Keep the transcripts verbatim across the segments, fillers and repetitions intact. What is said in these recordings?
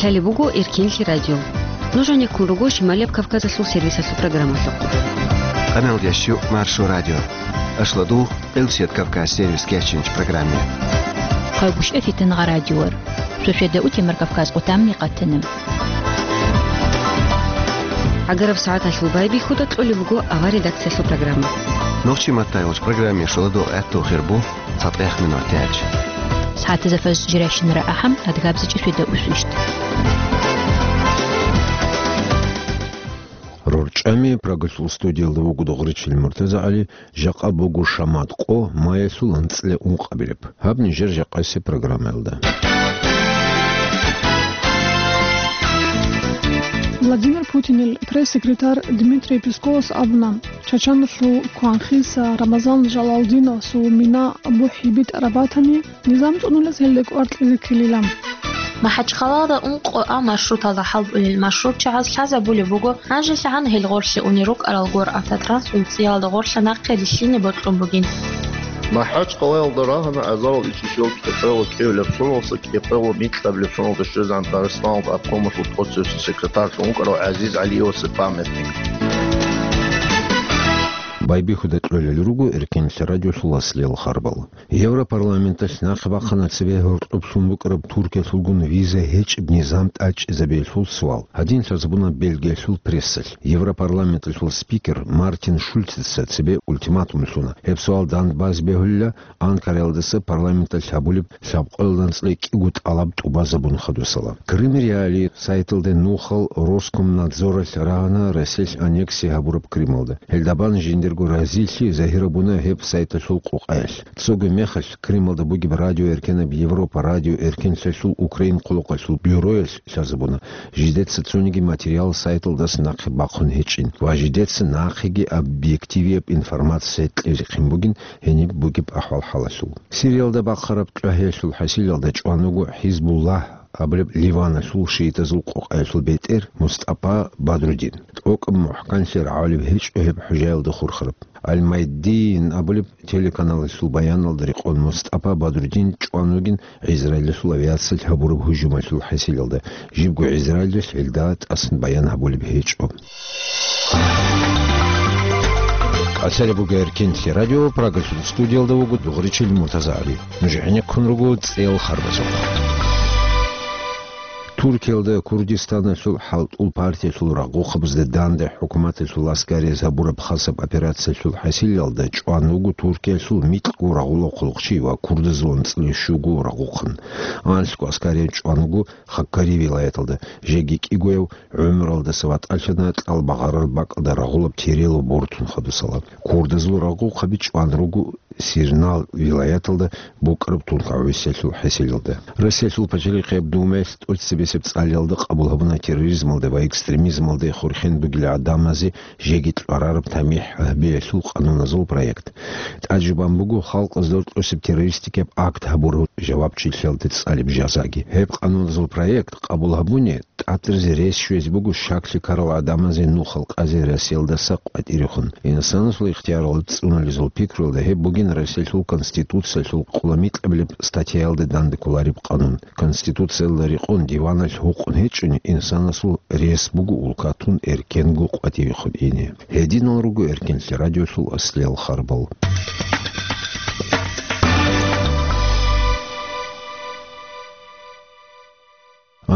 Лъалеб буго Эркинлъи радио. Нуж гьанеккун руго Шималияб Кавказалъул сервисалъул программалъухъ. Къаналдящу Маршо радио. Ашладу Къилсият Кавказ сервис кечинч программе. Къайгушев Фитангъа радиор. Шошеда утемар Кавказ къутамни къатана. Агараб сагӀаталъул байбихьуда кьолеб буго авар редакциялъул программа. Нохчи маттайгъуч программе шоладу гӀатту хирбу. ЦатӀех минутач. СагӀатазда фажр жирайщинара ахӀам, адгабзичӀи шведа усвищ. РорчӀами Прагалъул студиялда вуго Дугъричил МуртазагӀали, жакъа буго шамат къо, маялъул анцӀила ункъабилеб. Гьаб нижер жакъасеб программаялда. Владимир Путинил пресс-секретарь Дмитрий Песковас абуна, Чачаналъул Кванхиса Рамазан Жалалдиновасул мина Абу ХӀибитӀараб батани, низам цӀунулес гьелда кӀвар кьезе ккелила. МахӀачхъалада ункъо А маршруталда хӀалбулел маршрутчагӀаз лъазабулеб буго, нажелъагӀан гьел гъорлъе унел рукӀарал гор автотранспорт цӀиялда гъорлъа нахъе рилълъине бокьун бугин. МахӀачхъалаялда рагьана азарал ичӀишал кӀикъоялда кӀиабилеб соналдаса кӀикъоялда микьабилеб соналда щвезегӀан Дагъистаналда обкомалъул тӀоцебесеб секретарьлъун вукӀарав ГӀазиз ГӀалиевасул памятник. Байбихьуда кьолел руго Эркинлъи радиолъул аслиял харбал. Европарламенталъ нахъе бахъана цебе гьоркьоб лъун букӀараб Туркиялъулгун виза гьечӀеб низам тӀадчӀезабиялъул суал. Гьадин лъазабуна Бельгиялъул прессалъ. Европарламенталъул спикер Мартин Шульцица цебе ультиматум лъуна. Гьеб суал дандбазе бегьулила, Анкараялдаса парламенталъ гьабулеб лъабкъоялда анцӀила кӀиго тӀалаб тӀубазабун хадусала. Крым Реалии сайталде нухал Роскомнадзоралъ рагьана Россиялъ аннексия гьабураб Крымалда. Гьелда бан жиндирго разилъи загьирабуна гьеб сайталъул къокъаялъ. Цоги мехалъ Крымалда бугеб радиоэркенаб Европа радиоэркенлъиялъул Украин хъулухъалъул бюроялъ лъазабуна, жидеца цониги материал сайталдаса нахъе бахъун гьечӀин ва жидеца нахъеги объективияб информация кьезе хъин бугин гьениб бугеб ахӀвал-хӀалалъул. Сириялда бахъараб тӀагӀиялъул хӀасилалда чӀван вуго ХӀизбуллагь абулеб Ливаналъул шиитазул къокъаялъул бетӀер МустӀапа Бадрудин. ТӀокӀаб мухӀканлъи рагӀулеб гьечӀо гьеб хӀужаялда хурхараб. Аль-Майдин абулеб телеканалалъул баяналда рекъон МустӀапа Бадрудин чӀван вугин Израилалъул авиациялъ гьабураб гьужумалъул хӀасилалда, жибго Израилалъ гьелда тӀасан баян гьабулеб гьечӀо. Къасари буго Эркинлъи радио, Прагалъул студиялда вуго Дугъричил МуртазагӀали. Нуж гӀенеккун руго цӀел харбазухъ. Туркиялда Курдистаналъул хӀалтӀул партиялъул рагъухъабазда данде хӀукуматалъул аскариз гьабураб хасаб операциялъул хӀасилалда чӀван вуго Туркиялъул микьго рагъулахъулахъчи ва курдазул анцӀила щуго рагъухъан. Анлъго аскарияб чӀван вуго Хаккари вилаяталда, жеги кӀигояв гӀумралдаса ватӀалъана кьал багъарараб бакӀалда рагъулаб Терело бортун хадусала. Курдазул рагъухъаби чӀван руго Сирнал вилаяталда букӀараб тункагӀусиялъул хӀасилалда. Россиялъул пачалихъияб Думаялъ тӀоцебесеб цӀалиялда къабул гьабуна терроризмалда ва экстремизмалда хурхен бугел гӀадамазе жеги кьварараб тамихӀ гьабиялъул къануназул проект. ТӀаде бан буго халкъазда рокьосеб террористикияб акт гьабурав жавабчилъиялде цӀалеб жазаги. Гьеб къануназул проект къабул гьабуни, тӀатӀазе рес щвезе буго щаклъи ккарал гӀадамазе нухал къазе Россиялдаса къватӀирехун. Инсанасул ихтияралда цӀунулезул пикруялда гьеб бугин Россиялъул Конституциялъул къуламикьабилеб статьяялда данде кколареб къанун. Конституциялда рекъон диваналъ гьукъун гьечӀони, инсанасул рес буго улкатун эркенго къватӀивехун ине. Гьединал руго Эркинлъи радиолъул аслиял харбал.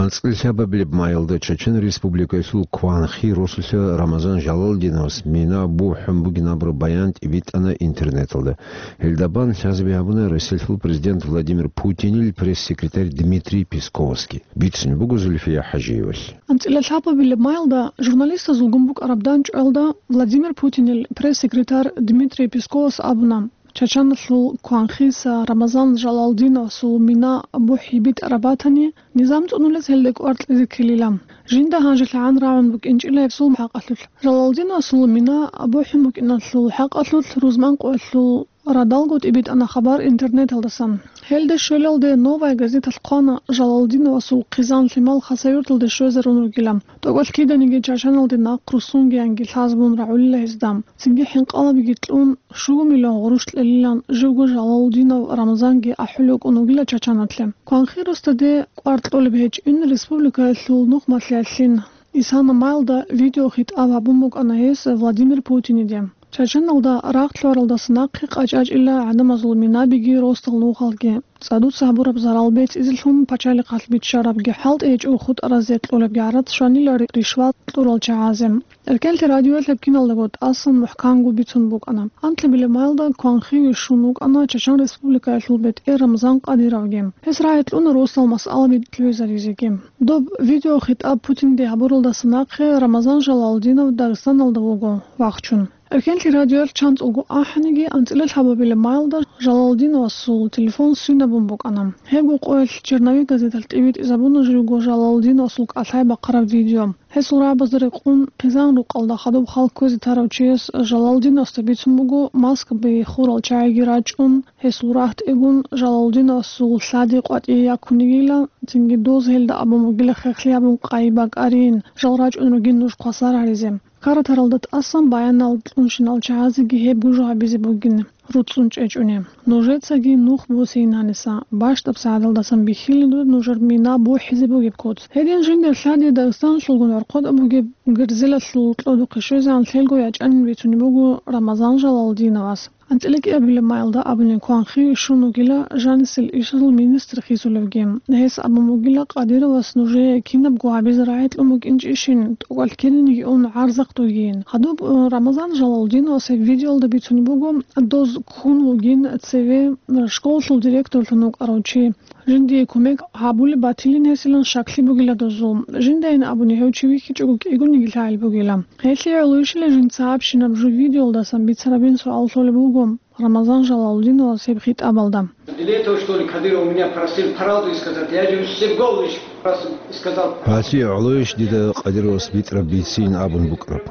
АнцӀила лъабабилеб майалда Чечен Республикаялъул Кванхи росулъа Рамазан Жалалдиновас мина бухӀун бугин абураб баян тӀибитӀана интернеталда. Гьелда бан лъазаби гьабуна Россиялъул президент Владимир Путинил пресс-секретарь Дмитрий Песковасги. Бицун буго Зульфия ХӀажиевалъ. АнцӀила лъабабилеб майалда журналистазулгун букӀараб данчӀвалда Владимир Путинил пресс-секретарь Дмитрий Песковас абуна, Чачаналъул Кванхиса Рамазан Жалалдиновасул мина Абу ХӀибитӀараб батани, низам цӀунулес гьелда кӀвар кьезе ккелила. Жинда гьанжелъагӀан рагӀун букӀинчӀила гьесул хӀакъалъулъ. Жалалдиновасул мина бухӀун букӀиналъул хӀакъалъулъ рузман къоялъул Радалго тӀибитӀана хабар интернеталдасан. Гьелде щвелалде «Новая газеталъ» хъвана Жалалдиновасул хъизан-лъимал Хасавюрталде щвезарун ругилан. ТӀокӀалъ киданиги Чачаналде нахъ руссунгиянги лъазабун рагӀулила гьезда. Цинги хӀинкъалабиги кьун, щуго миллион гъурущ кьелилан живго Жалалдинов Рамзанги ахӀулев вукӀун вугила Чачаналъе. Кванхи росдаде кӀвар кьолеб гьечӀин республикаялъул нухмалъиялъин Исана Майлда видеохитӀаб гьабун букӀана гьес Владимир Путиниде. Чачаналда рагъ лъугьаралдаса нахъе къачӀачӀила гӀадамазул минабиги росдал нухалги, цӀадуца гьабураб зарал бецӀизелъун пачалихъалъ биччарабги хӀалтӀи гьечӀого хутӀаразе кьолебги гӀарац щванила ри-, ришват кьурал чагӀазе. Эркенлъи радиоялъ гьеб киналдаго тӀасан мухӀканго бицун букӀана. Анкьабилеб майлда кванхиве щун вукӀана Чачан Республикаялъул бетӀер Рамзан Къадировги. Гьес рагӀи кьуна росдал масъала битӀизаризеги. Доб видеохитӀаб Путинде гьабуралдаса нахъе Рамазан Жалалдинов Дагъистаналда вуго вахчун. Эркенлъи радиоялъ чанцӀулго ахӀаниги, анцӀила лъабабилеб майлда Жалалдиновасул телефон сунабун букӀана. Гьебго къоялъ «Черновик» газеталъ тӀибитӀизабуна живго Жалалдиновасул кӀалъай бахъараб видео. Гьесул рагӀабазда рекъон, хъизан-рукъалда хадуб хал кквезе тарав чияс Жалалдиновасда бицун буго Москвабе хурал чагӀиги рачӀун, гьесул рагьтӀегун Жалалдиновасул лъади къватӀие яккунигила, цинги доз гьелда абун бугила хехлъи гьабун къайи бакӀарин, жал рачӀун ругин нуж хвасар гьаризе. Каратаралда тӀасан баянал кьунщинал чагӀазеги гьеб гужу гьабизе бугин, руцӀцӀун чӀечӀуни. Нужецаги нух босейин гьаниса, бащдаб сагӀаталдасан бихьилин нужер мина бухӀизе бугеб куц. Гьедин жиндир лъади Дагъистаналъулгун гӀорхъотӀа бугеб герзелалъул кьодухъе щвезегӀан лъелго ячӀанин бицунеб буго Рамазан Жалалдиновас. АнцӀила кӀиабилеб майлда абуни кванхиве щун вугила жанисел ишазул министр хисулевги. Гьес абун бугила Къадировас нужее кинабго гьабизе рагӀи кьун букӀинчӀищин, тӀокӀалъ киданиги ун гӀарзахъ дугин. Гьадуб, э, Рамазан Жалалдиновас гьеб видеоялда бицунеб буго, доз ккун вугин цеве, э, школалъул директорлъун вукӀарав чи. Жиндие кумек гьабулеб батилин гьесилан щаклъи бугила дозул. Жиндайин абуни гьев чи вихьичӀого кӀигониги лъагӀел бугила. Гьелъие гӀолойищила жинца гьабщинаб жо видеоялдасан бицарабин суал лъолеб буго Рамазан Жалалдиновас гьеб хитӀабалда. Для этого, что ли, Кадыров меня просил правду сказать? Я же все голову лишь раз сказал. Гьалъие гӀолойищ дида Къадировас битӀараб бицин абун букӀараб?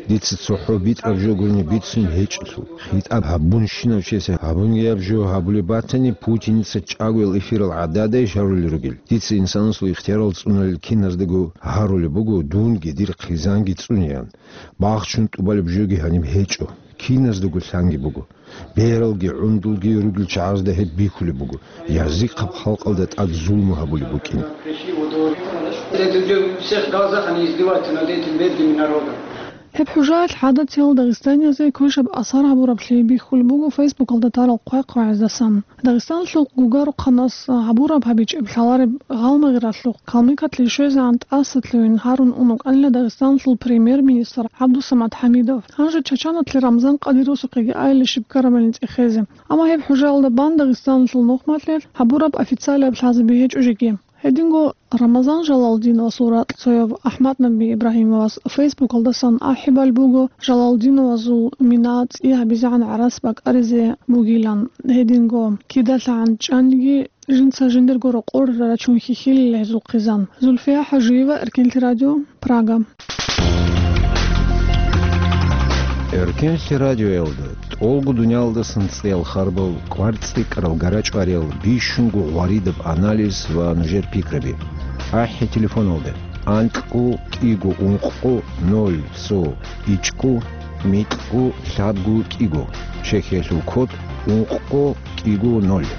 Дица цохӀо битӀараб жо гурони бицин гьечӀелъул. ХитӀаб гьабунщинав чиясе гьабунгияб жо гьабулеб батани, Путиница чӀагоял эфирал гӀададайищ гьарулел ругел? Дица инсанасул ихтиярал цӀуналел киназдаго гьарулеб буго, дунги дир хъизанги цӀунеян. Бахчун тӀубалеб жоги гьаниб гьечӀо. Киназдаго лъанги буго. Бералги гӀундулги ругел чагӀазда гьеб бихьулеб буго, язихъаб халкъалда тӀад зулму гьабулеб букӀин. Эти люди у всех в глазах, они издеваются над этим бедным народом. Гьеб хӀужаялъ гӀадатиял дагъистаниязе квешаб асар гьабураблъи бихьулеб буго Фейсбукалда тарал хъвай-хъвагӀаздасан. Дагъистаналъул гугарухъанас гьабураб гьабичӀеб лъалареб гъалмагъралъухъ калмыкалъе щвезегӀан тӀасалъугьин гьарун ун вукӀанила Дагъистаналъул премьер-министр ГӀабдусамат ХӀамидов. Гьанже Чачаналъе Рамзан Къадировасухъеги айила щиб ккарабани цӀехезе. Амма гьеб хӀужаялда бан Дагъистаналъул нухмалъе гьабураб официалияб лъазаби гьечӀо жеги. Гьединго Рамазан Жалалдиновасул ракьцояв АхӀмад-Наби Ибрагьимовас Фейсбукалдасан ахӀи балеб буго Жалалдиновазул мина цӀи гьабизегӀан гӀарац бакӀаризе бугилан. Гьединго кидалъагӀан чӀаниги, жинца жиндирго рокъор рачун хьихьилила гьезул хъизан. Зульфия ХӀажиева, Эркенлъи радио, Прага. Эркенлъи радиоялда тӀолго дуниялдасан цӀиял харбал, кӀвар цӀикӀкӀарал гарачӀвариял, бищунго гъваридаб анализ ва нужер пикраби. АхӀи телефоналда: анкьго кӀиго ункъго ноль цо ичӀго микьго лъабго кӀиго, Чехиялъул код ункъго кӀиго ноль.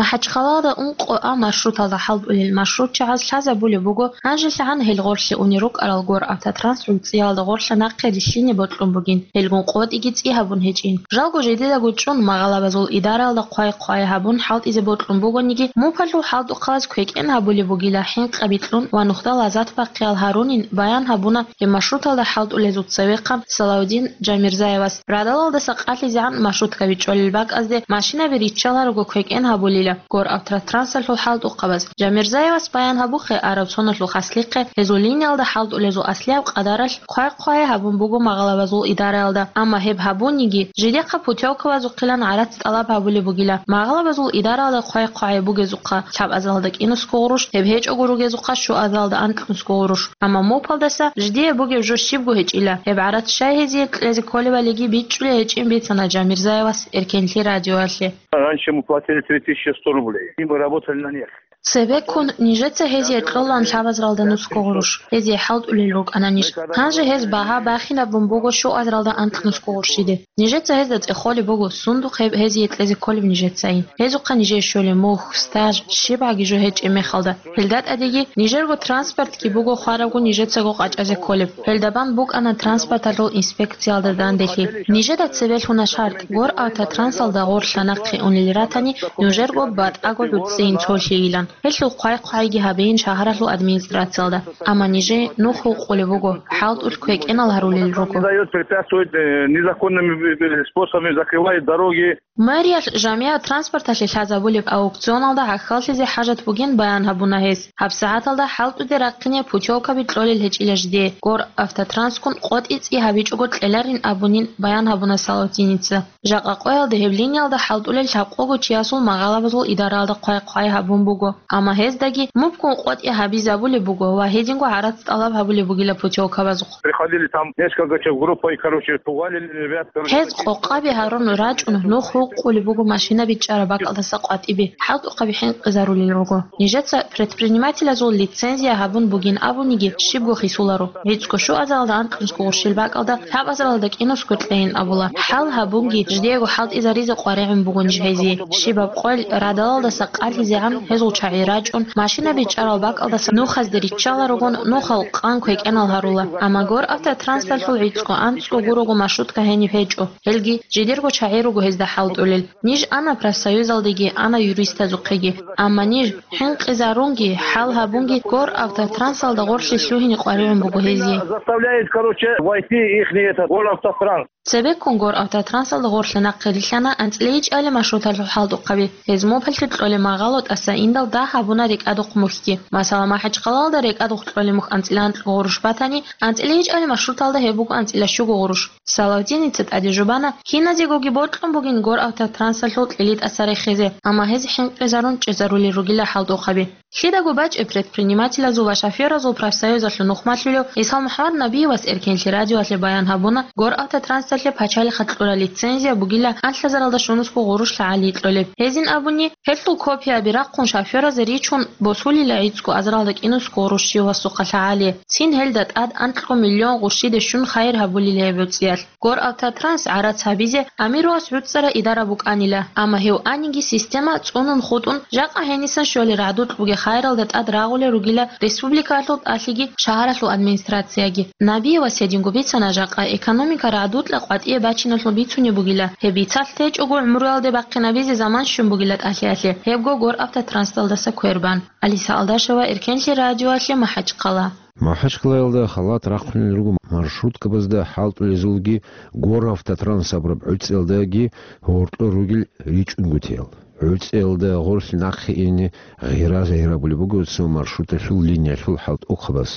МахӀачхъалада ункъо А маршруталда хӀалтӀулел маршрутчагӀаз лъазабулеб буго, гьанжелъагӀан гьел гъорлъе унел рукӀарал гор автотранс гӀуцӀиялда гъорлъа нахъе рилълъине бокьун бугин, гьелгун къотӀиги цӀи гьабун гьечӀин. Жалго жидедаго чӀун магъалабазул идаралда хъвай-хъвай гьабун хӀалтӀизе бокьун бугониги, мупалъул хӀалтӀухъалаз квекӀен гьабулеб бугила хӀинкъаби кьун ва нухда лазат бахъиял гьарунин баян гьабуна гьеб маршруталда хӀалтӀулезул цевехъан Салавдин Жамирзаевас. Радалалдаса къалъизегӀан маршруткаби чӀолел бакӀазде машинаби риччаларого квекӀен гьабулила. Горавтотрансалъул хӀалтӀухъабаз Жамирзаевас баян гьабухъе, араб соналъул хаслихъе гьезул линиялда хӀалтӀулезул аслияб къадаралъ хъвай-хъвай гьабун буго магъалабазул идараялда, амма гьеб гьабуниги, жидехъа путёвкабазухъилан гӀарац тӀалаб гьабулеб бугила. Магъалабазул идараялда хъвай-хъвай бугезухъа лъабазалда кӀинусго гъурущ, гьеб гьечӀого ругезухъа щуазалда анкьнусго гъурущ. Амма мопалдаса жидее бугеб жо щибго гьечӀила. Гьеб гӀарац щай гьезие кьезе кколебалиги бичӀчӀулей гьечӀин бицана Жамирзаевас Эркенлъи радиоялъе. Раньше мы платили три тысячи сто рублей, и мы работали на них. Цебеккун нижеца гьезие кьолаан лъабазаралда нусго гъурущ, гьезие хӀалтӀулел рукӀана ниж. Гьанже гьез багьа бахинабун буго щуазаралда анкьнусго гъурщиде. Нижеца гьезда цӀехолеб буго, сундухъ гьеб гьезие кьезе кколеб нижецайин. Гьезухъа нижее щолеб мухь, стаж, щибгӀаги жо гьечӀеб мехалда. Гьелда тӀадеги нижерго транспортги буго хварабго нижецаго къачӀазе кколеб. Гьелда бан букӀана транспорталъул инспекциялда данделъи. Нижеда цебе лъуна шартӀ, Горавтотрансалда гъорлъа нахъе унел ратани, нужерго батӀаго гӀуцӀцӀийин цолъийилан. Гьелъул хъвай-хъвайги гьабейин шагьаралъул администрациялда. Амма нижее нух гьукъулеб буго, хӀалтӀулъ квекӀенал гьарулел руго. Не дает, препятствует, э, незаконными, э, способами закрывает дороги. Мэриялъ жамигӀат транспорталъе лъазабулеб аукционалда гӀахьаллъизе хӀажат бугин баян гьабуна гьес. ГьабсагӀаталда хӀалтӀуде рахъине путёвкаби кьолел гьечӀила жидее, Горавтотранскун къотӀи цӀи гьабичӀого кьеларин абунин баян гьабуна Салавтиница. Жакъа къоялда гьеб линиялда хӀалтӀулел лъабкъого чиясул магъалабазул идараялда хъвай-хъвай гьабун буго. Амма гьездаги мубкун къотӀи гьабизабулеб буго ва гьединго гӀарац тӀалаб гьабулеб бугила путёвкабазухъ. Приходили там несколько человек группой, короче, валили ребят, короче. Гьез къокъаби гьарун рачӀун, нух гьукъулеб буго машина бичӀчӀараб бакӀалдаса къватӀибе, хӀалтӀухъаби хӀинкъизарулел руго. Нижеца предпринимателазул лицензия гьабун бугин абуниги, щибго хисуларо. ГӀицӀго щуазаралда анкьнусго гъурщил бакӀалда лъабазаралда кӀинусго кьейин абула. ХӀал гьабунги, жидеего хӀалтӀизаризе къваригӀун буго ниж гьезие. Щибаб къойил радалалдаса къалъизегӀан гьезул чагӀи рачӀун, машина бичӀчӀарал бакӀалдаса нухазде риччаларогун, нухал къан квекӀенал гьарула. Амма Горавтотранслъул гӀицӀго-анцӀго гурого маршрутка гьениб гьечӀо. Гьелги жидерго чагӀи руго гьезда хӀалтӀулел. Ниж ана профсоюзалдеги, ана юристазухъеги. Амма ниж хӀинкъизарунги, хӀал гьабунги Горавтотрансалда гъорлъе лъугьине къваригӀун буго гьезие. Заставляет, короче, войти ихний этот Горавтотранс. Цебеккун Горавтотрансалда гъорлъе нахъе рилълъана анцӀила ичӀали маршруталъул хӀалтӀухъаби. Гьез мопаллъи кьолеб магъало тӀаса индал дагь гьабуна рекӀадухъ мухьги. Масала, МахӀачхъалалда рекӀадухъ кьолеб мухь анцӀила анкьго гъурущ батани, анцӀила ичӀали маршруталда гьеб буго анцӀила щуго гъурущ. Салавдиница тӀаде жубана, киназегоги бокьун бугин Горавтотрансалъул кьили тӀаса рехизе, амма гьез хӀинкъизарун чӀезарулел ругила хӀалтӀухъаби. Лъидаго бачӀеб предпринимателазул ва шофёразул профсоюзалъул нухмалъулев ГӀисалмухӀаммад Набиевас Эркенлъи радиоялъе баян гьабуна, Горавтотрансалъе пачалихъа кьурал лицензия бугила анлъазаралда щунусго гъурущ лъагӀалие кьолеб. Гьезин абуни, гьелъул копияби рахъун шофёразе ричун босулила гӀицӀго азаралда кӀинусго гъурущ щивасухъа лъагӀалие, цин гьелда тӀад анкьго миллион гъурщиде щун хайир гьабулила гьеб гӀуцӀиялъ. Горавтотранс гӀарац гьабизе амирувас гӀуцӀарай идара букӀанила, амма гьев аниги система цӀунун хутӀун, жакъа гьенисан щолел рагӀдукь бугеб хайиралда тӀад рагъулел ругила республикалъул тӀалъиги шагьаралъул администрацияги. Набиевас гьединго бицана, жакъа экономика рагӀдукьа къватӀие бачиналъул бицунеб бугила, гьеб бицалъ течӀого гӀумруялде бахъинабизе заман щун бугила тӀалъиялъе, гьебго Горавтотранслдаса квербан. Алиса Алдашева, Эркенлъи радиоялъе, МахӀачхъала. МахӀачхъалаялда халат рахъунел руго маршруткабазда хӀалтӀулезулги, Горавтотранс абураб гӀуцӀиялдаги гьоркьор ругел ричӀунгутиял. ГӀуцӀиялда гъорлъ нахъе ине гъира-гъира гьабулеб буго цо маршруталъул линиялъул хӀалтӀухъабаз.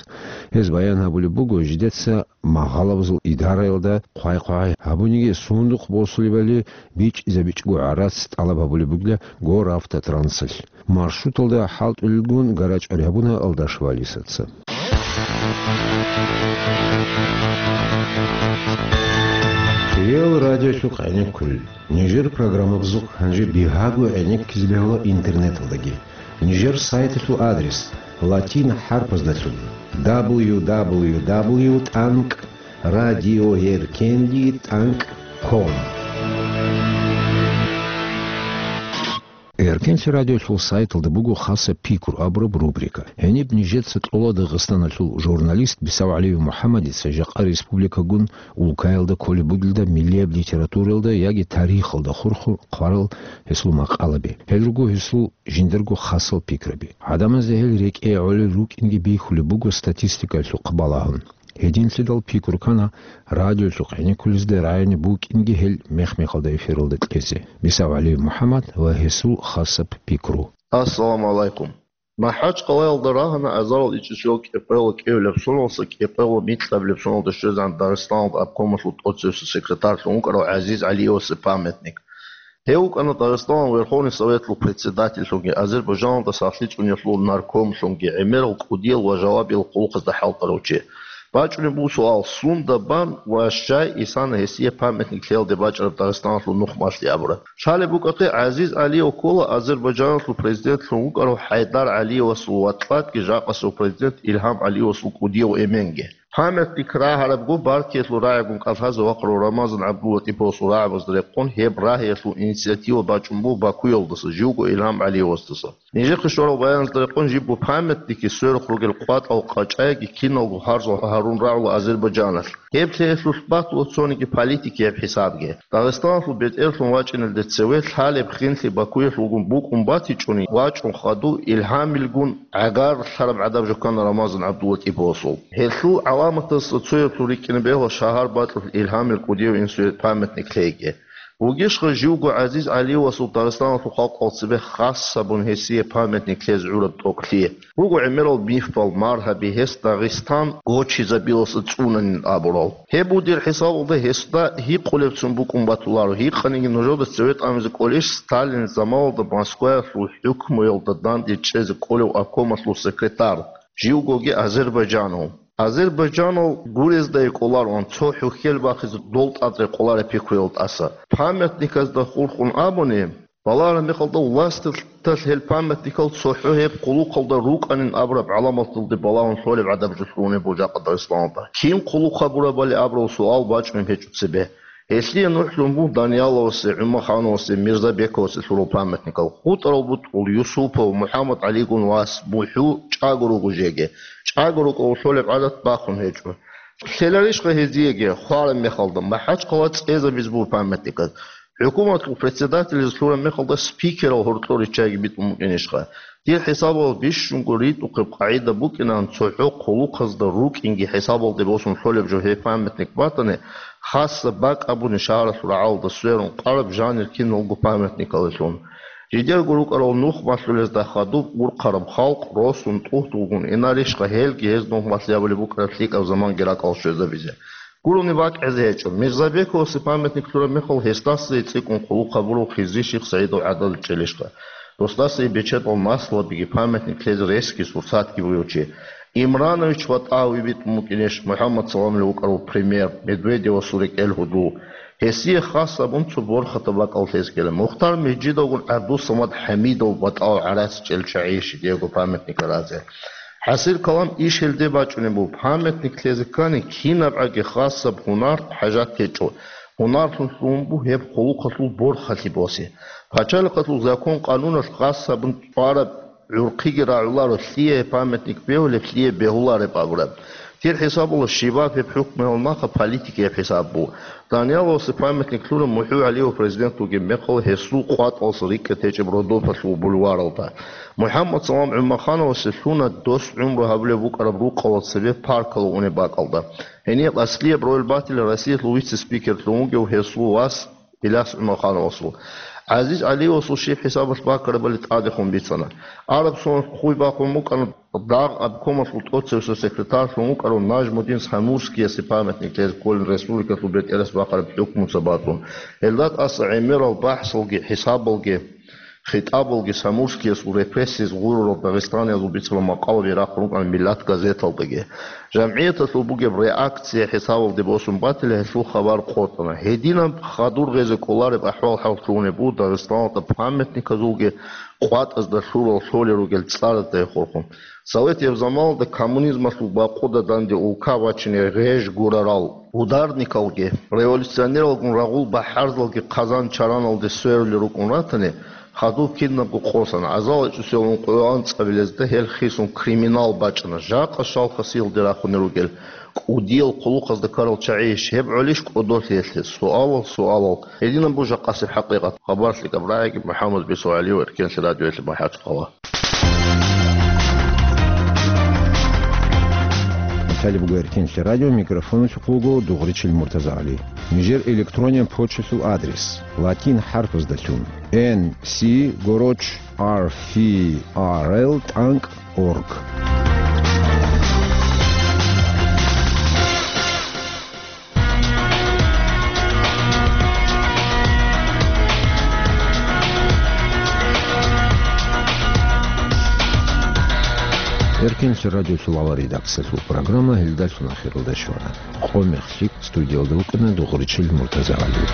Гьез баян гьабулеб буго, жидеца магъалабазул идараялда хъвай-хъвай гьабуниги, сундухъ босулебали бичӀчӀизабичӀого гӀарац тӀалаб гьабулеб бугила Горавтотрансалъ. Маршруталда хӀалтӀулелгун гарачӀари гьабуна Алдашева Алисаца. Ил радиолъухъ гӀенеккулел. Нижер программабазухъ гьанже бигьаго гӀенеккизе бегьула интернеталдаги. Нижер сайталъул адрес латин хӀарпаздалъун: дабл ю дабл ю дабл ю тӀанкӀ радиоэркенлъи тӀанкӀ ком. Эркенлъи радиолъул сайталда буго хасаб пикру абураб рубрика. Гьениб нижеца кьола Дагъистаналъул журналист БисавгӀалиев МухӀаммадица жакъа республикагун улкаялда кколеб бугелда миллияб литературалда яги тарихалда хурхун хъварал гьесул макъалаби. Гьел руго гьесул жиндирго хасал пикраби. ГӀадамазда гьел рекӀее гӀолел рукӀинги бихьулеб буго статистикаялъухъ балагьун. Гьединлъидал пикру ккана радиолъухъ гӀенеккулезда рагӀине букӀинги гьел мех-мехалда эфиралда кьезе. Мисав ГӀалиев МухӀаммад ва гьесул хасаб пикру. Ассаламу гӀалайкум. МахӀачкъалаялда рагьана азарал ичӀисел кӀикъоялда кӀиабилеб соналдаса кӀикъоялда микьабилеб соналда щвезегӀан Дагъистаналда обкомалъул тӀоцевсев секретарьлъун вукӀарав ГӀазиз ГӀалиевасул памятник. Гьев вукӀана Дагъистаналъул Верховный Советлъул председательлъунги, Азербайджаналда сахлъи цӀуниялъул наркомлъунги, гӀемерал кӀудиял ва жавабиял хъулухъазда хӀалтӀарав чи. БачӀунеб буго суал, сунда бан ва щай исана гьесие памятник лъеялде бачӀараб Дагъистаналъул нухмалъи абураб? Лъалеб букӀахъе, ГӀазиз ГӀалиев ккола Азербайджаналъул президентлъун вукӀарав ХӀайдар ГӀалиевасул ва тӀадги жакъасев президент Илгьам ГӀалиевасул кӀудияв эменги. Памятник рагьарабго партиялъул рагӀигун кӀалъазе вахъарав Рамазан ГӀабдуллатӀиповасул рагӀабазда рекъон гьеб рагьиялъул инициатива бачӀун буго Бакуялдаса, живго Илгьам ГӀалиевасдаса. Нижехъе щварал баяназда рекъон жибго памятникги, сверухъ ругел къватӀал къачӀайги киналго гьарзал гьарун рагӀула Азербайджаналъ. Гьеб лъеялъулъ батула цониги политикияб хӀисабги. Дагъистаналъул бетӀерлъун вачӀиналде цеве лъалеб хинлъи Бакуялъулгун букӀун батичӀони, вачӀун хадув Илгьамилгун гӀагарлъараб гӀадаб жо ккана Рамазан ГӀабдуллатӀиповасул. Гьелъул гӀаламатазда цояблъун рикӀкӀине бегьула шагьар бакьулъ Илгьамил кӀудияв инсуе памятник лъейги. Вугищха живго ГӀазиз ГӀалиевасул Дагъистаналъул халкъал цебе хас гьабун гьесие памятник лъезе гӀураб тӀокӀлъи? Буго гӀемерал мифал, маргьаби, гьес Дагъистан гочизабилалса цӀунанин абурал. Гьеб буго дир хӀисабалда гьесда гьикъулебцин букӀун батуларо, гьикъаниги нужеда цеве тӀамизе кӀолищ Сталин заманалда Москваялъул хӀукмуялда данде чӀезе кӀолев обкомалъул секретарь, живгоги азербайджанав. Азербайджанал гурезда кӀолароан цо хӀухьел бахизе дол тӀад рекъолареб пикруял тӀаса. Памятниказда хурхун абуни, балагьараб мехалда власталъ гьел памятникал цохӀо гьеб хъулухъалда рукӀанин абураб гӀаламаталде балагьун лъолеб гӀадаб жо лъугьунеб буго жакъа Дагъистаналда. Кин хъулухъ гьабурабали абурал суал бачӀунеб гьечӀо цебе. Гьелъие нухлъун буго Данияловасе, ГӀумахановасе, Мирзабековасе лъурал памятникал. ХутӀарал бутӀрул Юсупов, МухӀаммад ГӀалигун вас, МухӀу чӀаго руго жеги. ЧӀаго рукӀа лъолеб гӀадат бахун гьечӀо. Лъеларищха гьезиеги, хвараб мехалда, МахӀачхъала цӀезабиз буго памятниказ? ХӀукуматалъул председателизе лъураб мехалда спикерал гьоркьор риччайги битӀун букӀинищха? Дир хӀисабалда бищунго ритӀухъеб къагӀида букӀинан цохӀо хъулухъазда рукӀинги хӀисабалде босун лъолеб жо гьеб памятник батани, хасаб бакӀ абуни шагьаралъул рагӀалда сверун къараб жанир киналго памятникалилъун. Жидерго рукӀарал нух малъулезда хадуб урхъараб халкъ росун тӀугьдулгун инарищха гьелги гьез нух малъи абулеб букӀараб лъикӀаб заманги ракӀал щвезабизе? Гурони бакӀ гӀезе гьечӀо. Мирзабековасе памятник лъураб мехалъ гьесдаса цӀикӀкӀун хъулухъ гьабурав Хизри-ших СагӀидов гӀадада чӀелищха? Досдаса бечедал маслабиги памятник лъезе ресги сурсатги бугев чи. Имранович ВатӀаев битӀун букӀинищ МухӀаммад Саламли вукӀарав премьер, Медведевасул рекӀел гьудул? Гьесие хас абун цо борхатаб бакӀал лъезе ккела. Мухтар Мижидовгун ГӀабдусамад ХӀамидов ВатӀаев гӀарац чӀел чагӀи щидиего памятник разе. ХӀасил калам иш гьелде бачӀунеб буго, памятник лъезе ккани, кинабгӀаги хасаб гьунар хӀажат гьечӀо. Гьунарлъун лъугьун буго гьеб хъулухъалъул борхалъи босе. Пачалихъалъул закон-къануналъ хасабун цӀвараб гӀурхъиги рагӀуларо, лъие памятник бегьулеб, лъие бегьулареб абураб. Дир хӀисабалда щибаб гьеб хӀукмуялда нахъа политикияб хӀисаб буго. Данияловасе памятник лъуна МухӀу ГӀалиев президент вугеб мехалъ гьесул къватӀалса рикӀкӀад гьечӀеб Родопалъул бульваралда. МухӀаммад Салам ГӀумахановасе лъуна дос гӀумру гьабулеб букӀараб рукъалда цебе паркалда унеб бакӀалда. Гьенияб аслияб роль батила Россиялъул вице-спикерлъун вугев гьесул вас Иляс ГӀумахановасул. ГӀазиз ГӀалиевасул щиб хӀисабалъ бакарабали тӀадехун бицана. Араб соналъ хъуй бахъун букӀана дагъ обкомалъул тӀоцевсев секретарьлъун вукӀарав Нажмудин Самурскиясе памятник лъезе кколин республикалъул бетӀерас бахъараб хӀукмуца бацун. Гьелда тӀаса гӀемерал бахӀсалги, хӀисабалги, хитӀабалги Самурскиясул репрессияз гъурурал дагъистаниязул бицарал макъалаби рахъун рукӀана «Миллат» газеталдаги. ЖамгӀияталъул бугеб реакция хӀисабалде босун батила гьелъул хабар къотӀана. Гьединаб хадур гъезе кӀолареб ахӀвал-хӀал лъугьунеб буго Дагъистаналда памятниказулги къватӀазда лъурал лъолел ругел цӀаразда хурхун. Советияб заманалда коммунизмалъул бакъуда данде улка бачине гъеж гурарал ударникалги, революционералгун рагъул бахӀарзалги хъазан-чараналде сверулел рукӀун ратани, хадуб кинабго къосана, азал ичӀусел ункъоялда анцӀабилезда гьел хисун криминал бачӀана, жакъа щал хасиялде рахунел ругел кӀудиял хъулухъазда ккарал чагӀи иш гьеб гӀолищ кӀодолъиялъе? Суалал, суалал. Гьединаб буго жакъасеб хӀакъикъат. Хабар лъикӀаб рагӀиги, МухӀаммад Бесо ГӀалиев, Эркенлъи радиоялъе, МахӀачхъала. Гьале буго Эркинлъи радио, микрофоналъухъ вуго Дугъричил Муртазагьали. Нижер электрониян почталъул адрес: латин хӀарпаздалъун: Н С гороч Р Ф Р Л тӀанкӀ орг. Эркинлъи радиолъул авал редакциялъул программа гьелдалъун ахиралда щвана. Къо мехлъи студиялда вукӀана Дугъричил Муртазагьали.